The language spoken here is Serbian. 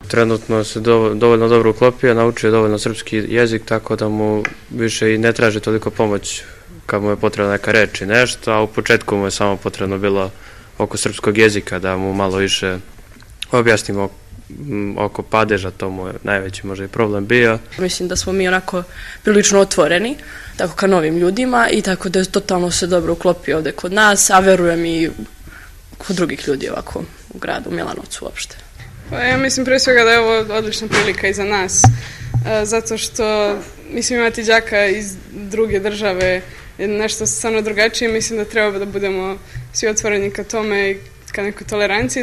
trenutno se dovoljno dobro uklopio, naučio dovoljno srpski jezik, tako da mu više i ne traži toliko pomoć kad mu je potrebna neka reč i nešto, a u početku mu je samo potrebno bilo oko srpskog jezika da mu malo više objasnimo oko padeža, to mu je najveći možda i problem bio. Mislim da smo mi onako prilično otvoreni, tako ka novim ljudima i tako da je totalno se dobro uklopio ovde kod nas, a verujem i kod drugih ljudi ovako u gradu, u Milanovcu uopšte. Pa ja mislim pre svega da je ovo odlična prilika i za nas, zato što mislim imati đaka iz druge države je nešto stvarno drugačije, mislim da treba da budemo svi otvoreni ka tome i ka nekoj toleranciji.